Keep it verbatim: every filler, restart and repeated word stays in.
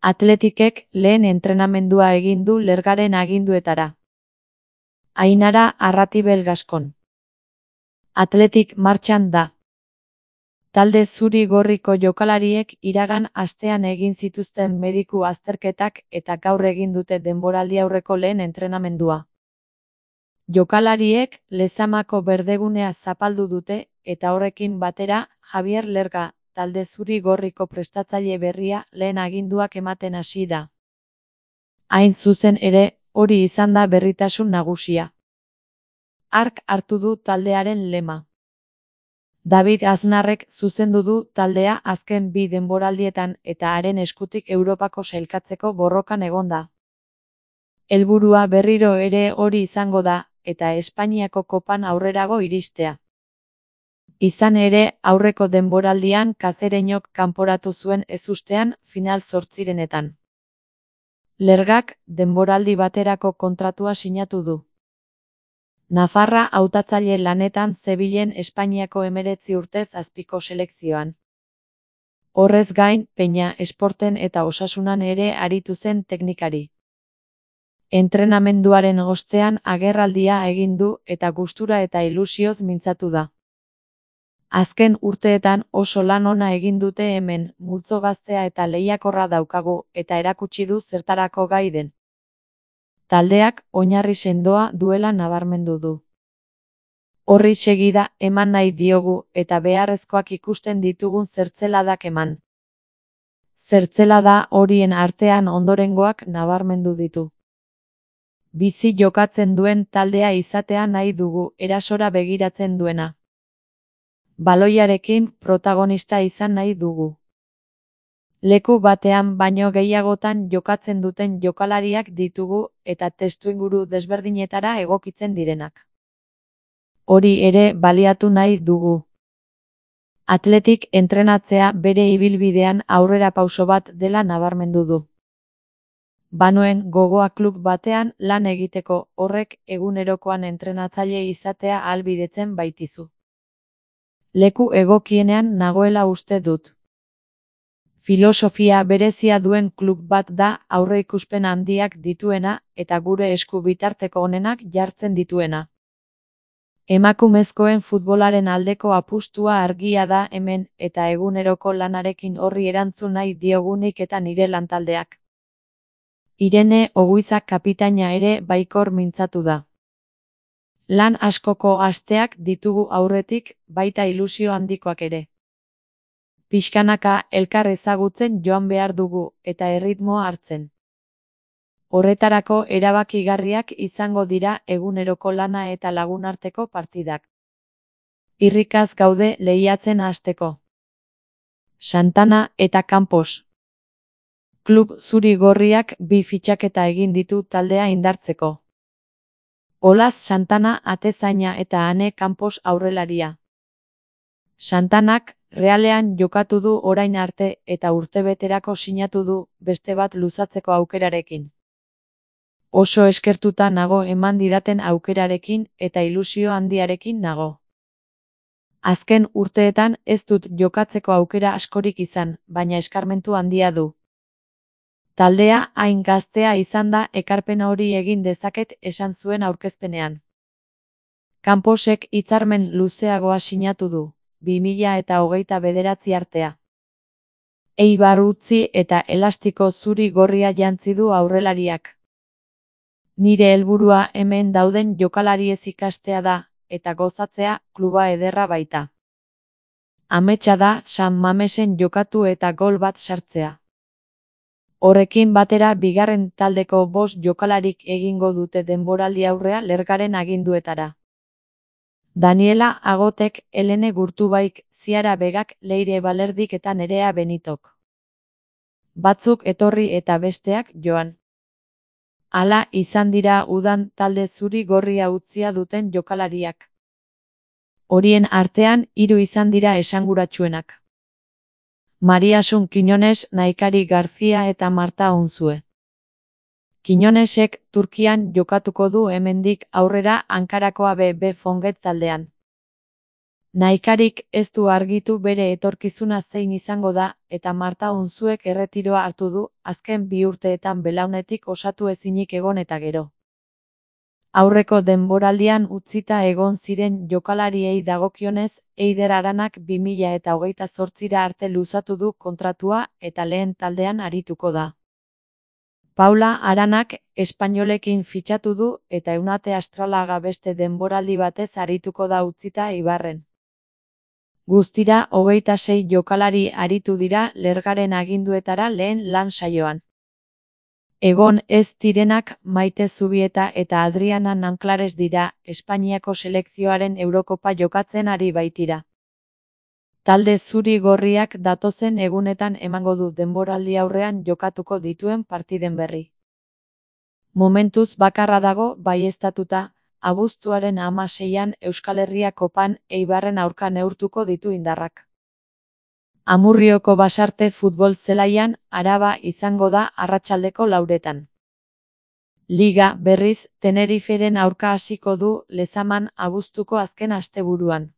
Atletikek lehen entrenamendua egin du Lergaren aginduetara. Ainara Arratibel Gaskon. Atletik martxan da. Talde zuri-gorriko jokalariek iragan astean egin zituzten mediku azterketak eta gaur egin dute denboraldi aurreko lehen entrenamendua. Jokalariek Lezamako berdegunea zapaldu dute eta horrekin batera Javier Lerga, talde zuri-gorriko prestatzaile berria, lehen aginduak ematen hasi da. Hain zuzen ere, hori izan da berritasun nagusia. Hark hartu du taldearen lema. David Aznarrek zuzendu du taldea azken bi denboraldietan eta haren eskutik Europako sailkatzeko borrokan egon da. Helburua berriro ere hori izango da, eta Espainiako kopan aurrerago iristea. Izan ere, aurreko denboraldian Kazereñok kanporatu zuen ezustean final zortzirenetan. Lergak denboraldi baterako kontratua sinatu du. Nafarra hautatzaile lanetan zebilen Espainiako hemeretzi urtez azpiko selekzioan. Horrez gain, Peña Esporten eta Osasunan ere aritu zen teknikari. Entrenamenduaren ostean agerraldia egin du eta gustura eta ilusioz mintzatu da. Azken urteetan oso lan ona egin dute hemen, multzo gaztea eta lehiakorra daukagu eta erakutsi du zertarako gai den. Taldeak oinarri sendoa duela nabarmendu du. Horri segida eman nahi diogu eta beharrezkoak ikusten ditugun zertzeladak eman. Zertzelada horien artean ondorengoak nabarmendu ditu. Bizi jokatzen duen taldea izatea nahi dugu, erasora begiratzen duena. Baloiarekin protagonista izan nahi dugu. Leku batean baino gehiagotan jokatzen duten jokalariak ditugu eta testuinguru desberdinetara egokitzen direnak. Hori ere baliatu nahi dugu. Atletik entrenatzea bere ibilbidean aurrera pauso bat dela nabarmendu du. Banuen gogoa klub batean lan egiteko horrek egunerokoan entrenatzaile izatea ahalbidetzen baitizu. Leku egokienean nagoela uste dut. Filosofia berezia duen klub bat da aurreikuspen handiak dituena eta gure esku bitarteko onenak jartzen dituena. Emakumezkoen futbolaren aldeko apustua argia da hemen eta eguneroko lanarekin horri erantzun nahi diogunik eta nire lantaldeak. Irene Oguizak kapitaina ere baikor mintzatu da. Lan askoko asteak ditugu aurretik, baita ilusio handikoak ere. Pixkanaka elkar ezagutzen joan behar dugu eta erritmoa hartzen. Horretarako erabakigarriak izango dira eguneroko lana eta lagunarteko partidak. Irrikaz gaude lehiatzen hasteko. Santana eta Campos. Klub zuri-gorriak bi fitxaketa egin ditu taldea indartzeko. Olaz Santana atezaina eta Ane Campos aurrelaria. Santanak Realean jokatu du orain arte eta urtebeterako sinatu du beste bat luzatzeko aukerarekin. Oso eskertuta nago eman didaten aukerarekin eta ilusio handiarekin nago. Azken urteetan ez dut jokatzeko aukera askorik izan, baina eskarmentu handia du. Taldea hain gaztea izan da ekarpen hori egin dezaket esan zuen aurkezpenean. Camposek hitzarmen luzeagoa sinatu du, bi mila eta hogeita bederatzi artea. Eibar utzi eta elastiko zuri-gorria jantzi du aurrelariak. Nire helburua hemen dauden jokalariez ikastea da, eta gozatzea kluba ederra baita. Ametsa da San Mamesen jokatu eta gol bat sartzea. Horrekin batera bigarren taldeko bost jokalarik egingo dute denboraldi aurrea Lergaren aginduetara. Daniela Agotek, Helene Gurtubaik, Ziara Begak, Leire Balerdik eta Nerea Benitok. Batzuk etorri eta besteak joan. Hala izan dira udan talde zuri-gorria utzia duten jokalariak. Horien artean hiru izan dira esanguratsuenak. Mariasun Quiñones, Naikari Garzia eta Marta Unzue. Quiñonesek Turkian jokatuko du hemendik aurrera Ankarako A B B Fonget taldean. Nahikarik ez du argitu bere etorkizuna zein izango da, eta Marta Unzuek erretiroa hartu du, azken bi urteetan belaunetik osatu ezinik egon eta gero. Aurreko denboraldian utzita egon ziren jokalariei dagokionez, Eider Aranak bi mila eta hogeita zortzira arte luzatu du kontratua eta lehen taldean arituko da. Paula Aranak espainolekin fitxatu du eta Eunate Astralaga beste denboraldi batez arituko da utzita Eibarren. Guztira hogeita sei jokalari aritu dira Lergaren aginduetara lehen lan saioan. Egon ez direnak Maite Zubieta eta Adriana Nanclares dira, Espainiako selekzioaren Eurokopa jokatzen ari baitira. Talde zuri-gorriak datozen egunetan emango du denboraldi aurrean jokatuko dituen partiden berri. Momentuz bakarra dago baieztatuta, abuztuaren hamaseian Euskal Herria Kopan Eibarren aurka neurtuko ditu indarrak. Amurrioko Basarte futbol zelaian Araba izango da arratsaldeko lauretan. Liga, berriz, Teneriferen aurka hasiko du Lezaman abuztuko azken asteburuan.